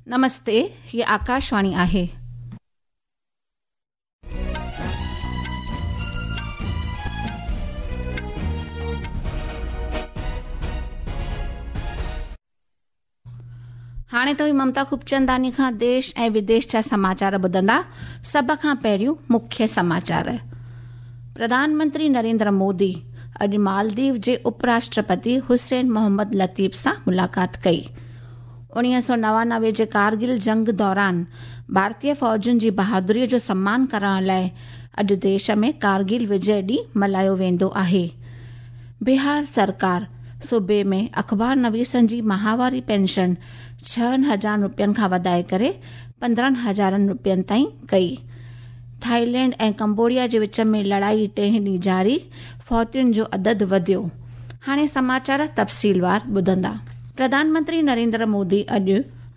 نمستي، هيء آڪاشواڻي آهي. هاڻي توهين ممتا خوبچنداني کان ديش ۽ وديش جا سماچار ٻڌندا. سڀ کان پهريون مکيه سماچار. پرڌان منتري نريندر مودي اڄ مالديو جي اپراشٽرپتي حسين محمد لطيف سان ملاقات ڪئي. 1999 جي ڪارگل جنگ دوران ڀارتي فوجن جي بهادري جو سمان ڪرڻ لاءِ اڄ ديش ۾ ڪارگل وجي ڏينهن ملهايو ويندو آهي. بهار سرڪار صوبي ۾ اخبار نويسن جي ماهواري پينشن 6000 رپين کان وڌائي ڪري 15,000 رپين تائين ڪئي. ٿائيلينڊ ۽ ڪمبوڊيا جي وچ ۾ لڙائي ٽئين ڏينهن جاري، فوتين جو عدد وڌيو. هاڻي سماچار تفصيلوار ٻڌندا. پرڌان منتري نريندر مودي اڄ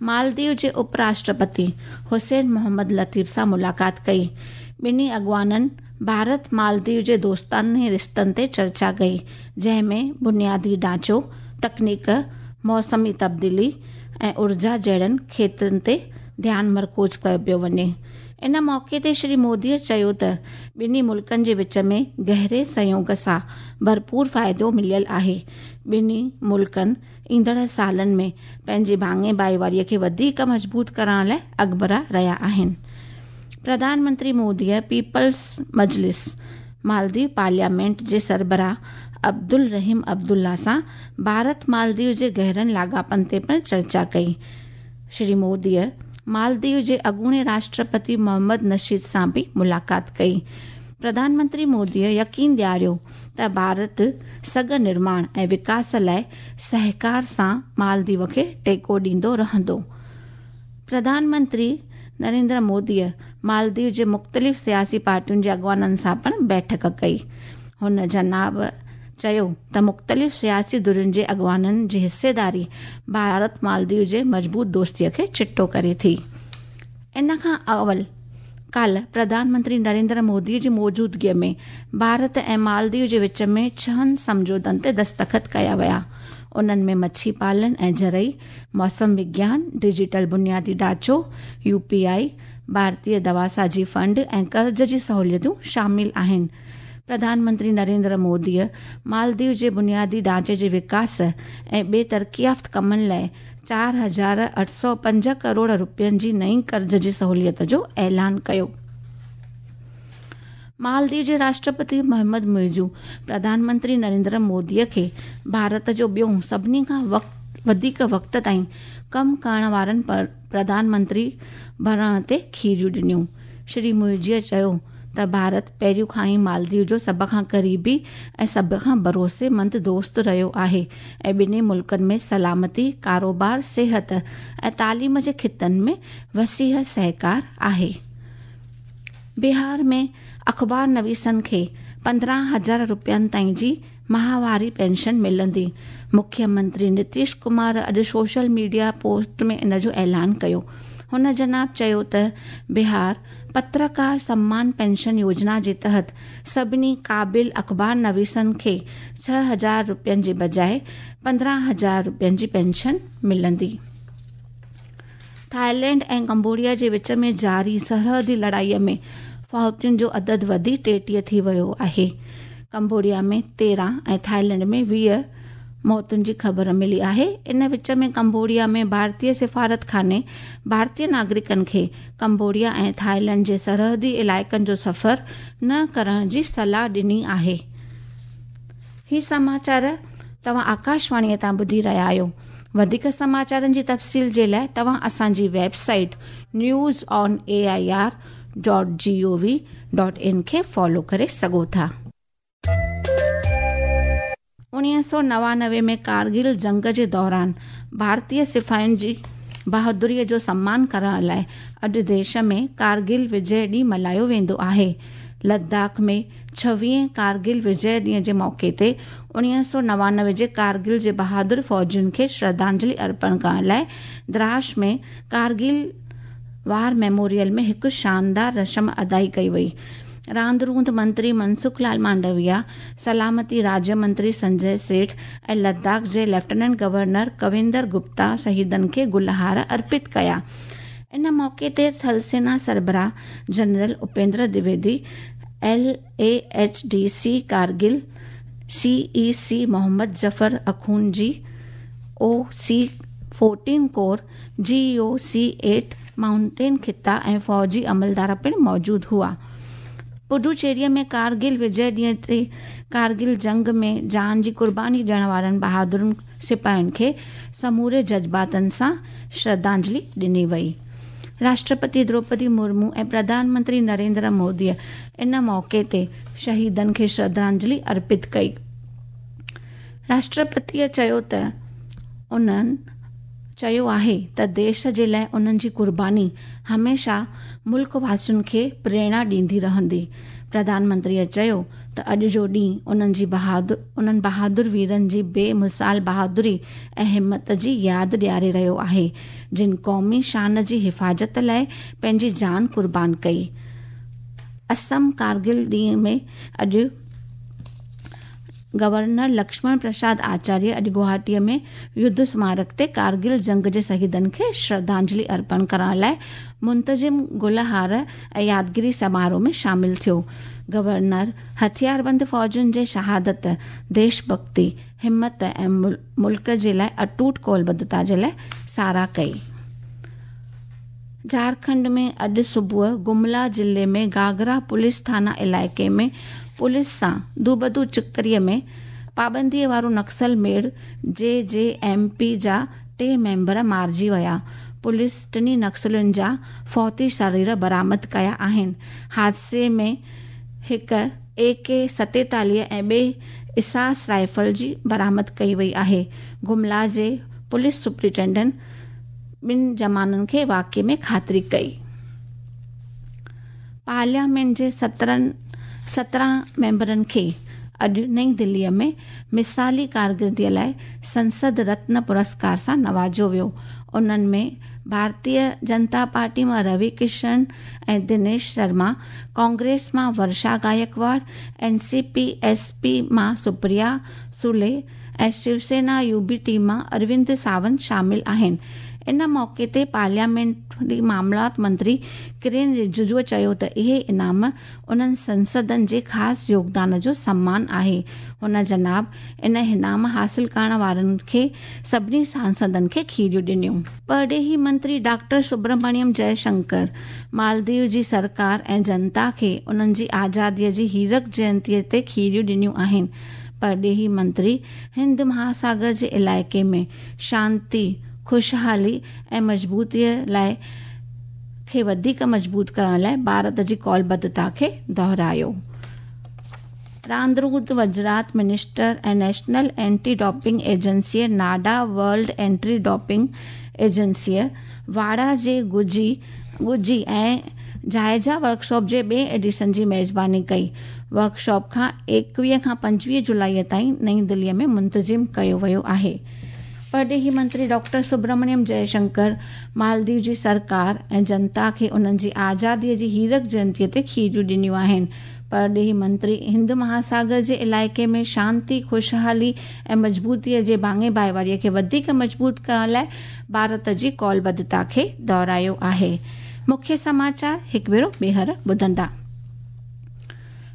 مالديو جي اپراشٽرپتي حسين محمد لطيف سان ملاقات ڪئي. ٻنهي اڳواڻن ڀارت مالديو جي دوستاڻي رشتن تي چرچا ڪئي، جنهن ۾ بنيادي ڍانچو، تڪنيڪ، موسمي تبديلي ۽ اورجا جهڙن کيترن تي ڌيان مرڪوز ڪيو پيو وڃي. ان موقعي تي شري موديءَ چيو ته ٻنهي ملڪن جي وچ ۾ گهري سهيوگ سان ڀرپور فائدو مليل آهي. ٻنهي ملڪن ايندڙ سالن ۾ پنهنجي ڀاڱي ڀائيواريءَ کي وڌيڪ مضبوط ڪرڻ لاءِ اڳڀرا رهيا آهن. پرڌان منتري موديءَ پيپلز مجلس مالديو پارليامينٽ جي سربراهه عبدالرحيم عبدالله سان ڀارت مالديو جي گهرن لاڳاپن تي پڻ چرچا ڪئي. شري موديءَ مالديو جي اڳوڻي راشٽرپتي محمد نشيد سان به ملاقات ڪئي. پرڌان منتري موديءَ يقين ڏياريو ته ڀارت سگهه نرماڻ ۽ وڪاس لاءِ سهڪار سان مالديو کي ٽيڪو ڏيندو رهندو. پرڌان منتري نريندر موديءَ مالديو جي مختلف سياسي پارٽين جي اڳواڻن سان پڻ بيٺڪ ڪئي. هن جناب چيو ته مختلف سياسي ڌرين جي اڳواڻن جي حصيداري ڀارت مالديو جي مضبوط دوستيءَ کي چٽو ڪري ٿي. ان کان اول ڪالهه پرڌان منتري نريندر مودي جي موجودگيءَ ۾ ڀارت ۽ مالديو جي وچ ۾ ڇهن سمجهوتن تي دستخط ڪيا ويا. انهن ۾ مڇي پالن ۽ زرعي، موسم وگيان، ڊجيٽل بنيادي ڍانچو، U P I, Bharatiya دواسازي fund ۽ قرض جي سهوليتون شامل آهن. پرڌان منتري نريندر موديءَ مالديو جي بنيادي ڍانچي جي وڪاس ۽ ٻئي ترقيافت ڪمن لاءِ 4805 ڪروڙ رپين جي نئين قرض جي سهوليت جو اعلان ڪيو. مالديو جي راشٽرپتي محمد معزو پرڌان منتري نريندر موديءَ کي ڀارت جو ٻيو سڀني کان وڌيڪ وقت تائين ڪم ڪرڻ وارن پرڌان منتري بڻائڻ تي کيريون ڏنيون. شري معزوءَ چيو ته ڀارت پهريون کان ئي مالديو جو سڀ کان قريبي ۽ سڀ کان ڀروسيمند دوست رهيو آهي ۽ ٻنهي ملڪن ۾ سلامتي، ڪاروبار، صحت ۽ تعليم جي کيترن ۾ وسيع سهڪار آهي. بهار ۾ اخبار نويسن کي 15,000 رپين تائين جي ماهواري پينشن ملندي. مکيه منتري نتيش ڪمار اڄ سوشل ميڊيا پوسٽ ۾ ان جو اعلان ڪيو. هن جناب چيو ته بهار پترڪار سمان پينشن يوجنا جي تحت سڀني قابل اخبار نويسن کي 6000 رپين جي بجاءِ 15,000 رپين جي پينشن ملندي. ٿائيلينڊ ۽ ڪمبوڊيا جي وچ ۾ جاري سرحدي لڙائيءَ ۾ فوتين جو عدد وڌي 33 ٿي ويو آهي. ڪمبوڊيا ۾ 13 ۽ ٿائيلينڊ ۾ 20 موتن جي خبر ملي آهي. ان وچ ۾ ڪمبوڊيا ۾ ڀارتيه سفارتخاني ڀارتيه ناگرڪن کي ڪمبوڊيا ۽ ٿائيلينڊ جي سرحدي علائقن جو سفر نه ڪرڻ جي صلاح ڏني آهي. هي سماچار توهان آڪاشواڻيءَ تان ٻڌي رهيا آهيو. وڌيڪ سماچارن جي تفصيل جي لاءِ توهان اسان جي web site news on A I R dot G O V dot in کي فالو ڪري سگهو ٿا. 1999 ۾ ڪارگل جنگ جي دوران ڀارتيه سپاهين جي بهادريءَ جو سمان ڪرڻ لاءِ اڄ ديش ۾ ڪارگل وجي ڏينهن ملهايو ويندو آهي. لداخ ۾ 26 ڪارگل وجي ڏينهن جي موقعي تي 1999 جي ڪارگل جي بهادر فوجين کي شرڌانجلي ارپڻ ڪرڻ لاءِ دراس ۾ ڪارگل وار ميموريل ۾ هڪ شاندار رسم ادائي ڪئي وئي. راند روند منتري منسک لال مانڊويا، سلامتي راجيه منتري سنجي سيٺ ۽ لداخ جي ليفٽيننٽ گورنر ڪويندر گپتا شهيدن کي گلهار ارپت ڪيا. ان موقعي تي ٿل سينا سربراهه general Upendra Dwivedi, L A H D C Kargil, C E C Muhammad Zafar Akhund G O C 14 corps, G O C 8 mountain خطا ۽ فوجي عملدار پڻ موجود هئا. پڊوچيريء ۾ ڪارگل وجي ڏينهن تي ڪارگل جنگ ۾ جان جي قرباني ڏيڻ وارن بهادر سپاهين کي سموري جذباتن سان شرڌانجلي ڏني وئي. راشٽرپتي دروپدي مرمو ۽ پرڌان منتري نريندر موديء ان موقعي تي شهيدن کي شرڌانجلي ارپت ڪئي. راشٽرپتيء چيو ته انهن چيو آهي ته ديش جي لاءِ انهن جي قرباني هميشه ملڪ واسين کي پريرڻا ڏيندي رهندي. پرڌان منتريء چيو ته اڄ جو ڏينهن انهن جي بهادر انهن بهادر ويرن جي بي مثال بهادري ۽ همت جي ياد ڏياري رهيو آهي، جن قومي شان جي حفاظت لاءِ پنهنجي جان قربان ڪئي. اسم ڪارگل ڏينهن ۾ اڄ گورنر لڪشمڻ پرساد آچاريه اڄ گوهاٽيء ۾ يڌ سمارڪ تي ڪارگل جنگ جي شهيدن کي شرڌانجلي ارپڻ ڪرڻ لاءِ منتظم گلهار ۽ يادگيري سماروهه ۾ شامل ٿيو. گورنر هٿياربند فوجن جي شهادت، ديش ڀڳتي، همت ۽ ملڪ جي لاءِ اٽوٽ قولبڌتا جي لاءِ ساراهه ڪئي. جهارکنڊ ۾ اڄ صبح گملا ضلعي ۾ گاگرا پوليس ٿانا علائقي ۾ پوليس سان دوبدو چڪريء ۾ پابنديء وارو نڪسل ميڙ جي جي ايم پي جا ٽي ميمبر مارجي ويا. پوليس ٽنهي نڪسلين جا فوتي شرير برآمد ڪيا آهن. حادثي ۾ هڪ اي ڪي 47 ۽ ٻئي اساس رائفل جي برآمد ڪئي وئي آهي. گملا جي پوليس سپرنٽينڊنٽ ٻن جمانن کي واقعي ۾ خاطري ڪئي. پارليامينٽ جي 17 ميمبرن کي اڄ نئين دليء ۾ مثالي ڪارڪردگيء لاءِ سنسد رتن پرسڪار سان نوازيو ويو. انهن ۾ ڀارتيه جنتا پارٽي مان روي ڪشن ۽ دنيش شرما، ڪانگريس مان Varsha Gaikwad, N C P S P مان سپريا سولي ۽ شوسينا يو بي ٽي مان اروند ساونت شامل آهن. ان موقعي تي پارليامينٽري معاملات منتري ڪرين رججوء چيو ته اهي انعام انهن سنسدن جي خاص يوگدان جو سمان آهي. هن جناب ان انعام حاصل ڪرڻ وارن کي سڀني سانسدن کي کيريون ڏنيون. پرڏيهي منتري ڊاڪٽر سبرمڻيم جئي شنڪر مالديو جي سرڪار ۽ جنتا کي انهن جي آزاديء جي هيرڪ جينتيء تي کيريون ڏنيون آهن. پرڏيهي منتري هند مهاساگر جي علائقي ۾ شانتي، خوشحالي ۽ مضبوطيء لاءِ کي وڌيڪ مضبوط ڪرڻ لاءِ ڀارت جي قولبڌتا کي دهرايو. راند روند وزارت منسٽر ۽ نيشنل اينٽي ڊوپنگ ايجنسيء ناڊا ورلڊ اينٽي ڊوپنگ ايجنسيء واڊا جي ڳجهي ڳجهي ۽ جائزا ورڪشاپ جي ٻئي ايڊيشن جي ميزباني ڪئي. ورڪشاپ کان 21 کان 25 جولائيء تائين نئين دليء ۾ منتظم ڪيو ويو آهي. پرڏيهي منتري ڊاڪٽر سبرمڻيم جئي شنڪر مالديو جي سرڪار ۽ جنتا کي انهن جي آزاديء جي هيرڪ جينتيء تي کيريون ڏنيون آهن. پرڏيهي منتري هند مهاساگر جي علائقي ۾ شانتي، خوشحالي ۽ مضبوطيء جي ڀاڱي ڀائيواريء کي وڌيڪ مضبوط ڪرڻ لاءِ ڀارت جي قولبڌتا کي دهرايو آهي. مکيه سماچار هڪ ڀيرو ٻيهر ٻڌندا.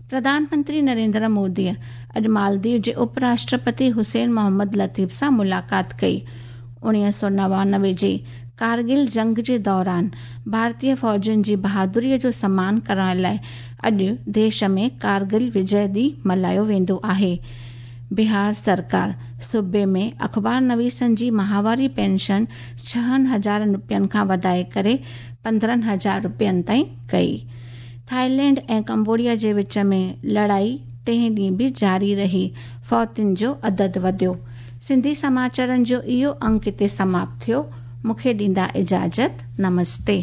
پرڌان منتري نريندر موديء اڄ مالديو جي اپ راشٽرپتي حسين محمد لطيف سان ملاقات ڪئي. 1999 جي ڪارگل جنگ جي دوران ڀارتيه فوجين جي بهادريء جو سمان ڪرڻ لاءِ اڄ ديش ۾ ڪارگل وجي ڏينهن ملهايو ويندو آهي. بهار سرڪار صوبي ۾ اخبار نويسن جي ماهواري پينشن 6000 رپين کان وڌائي ڪري 15000 رپين تائين ڪئي. ٿائيلينڊ ۽ ڪمبوڊيا جي وچ ۾ لڙائي ٽئين ڏينهن به جاري رهي، فوتين جو عدد وڌيو. سنڌي سماچارن جو اهو انڪ هتي سماپت ٿيو. مون کي ڏيندا اجازت. نمستي.